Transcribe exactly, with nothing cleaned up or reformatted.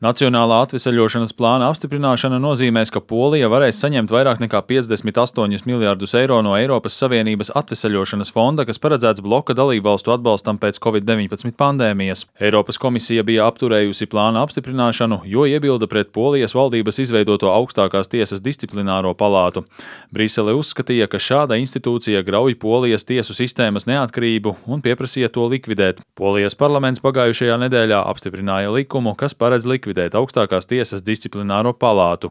Nacionālā atveseļošanas plāna apstiprināšana nozīmēs, ka Polija varēs saņemt vairāk nekā piecdesmit astoņus miljardus eiro no Eiropas Savienības atveseļošanas fonda, kas paredzēts bloka dalībvalstu atbalstam pēc covid deviņpadsmit pandēmijas. Eiropas komisija bija apturējusi plāna apstiprināšanu, jo iebilda pret Polijas valdības izveidoto augstākās tiesas disciplināro palātu. Brisele uzskatīja, ka šāda institūcija grauj Polijas tiesu sistēmas neatkarību un pieprasīja to likvidēt. Polijas parlaments pagājušajā nedēļā apstiprināja likumu, kas paredz likvidēt likvidēt augstākās tiesas disciplināro palātu.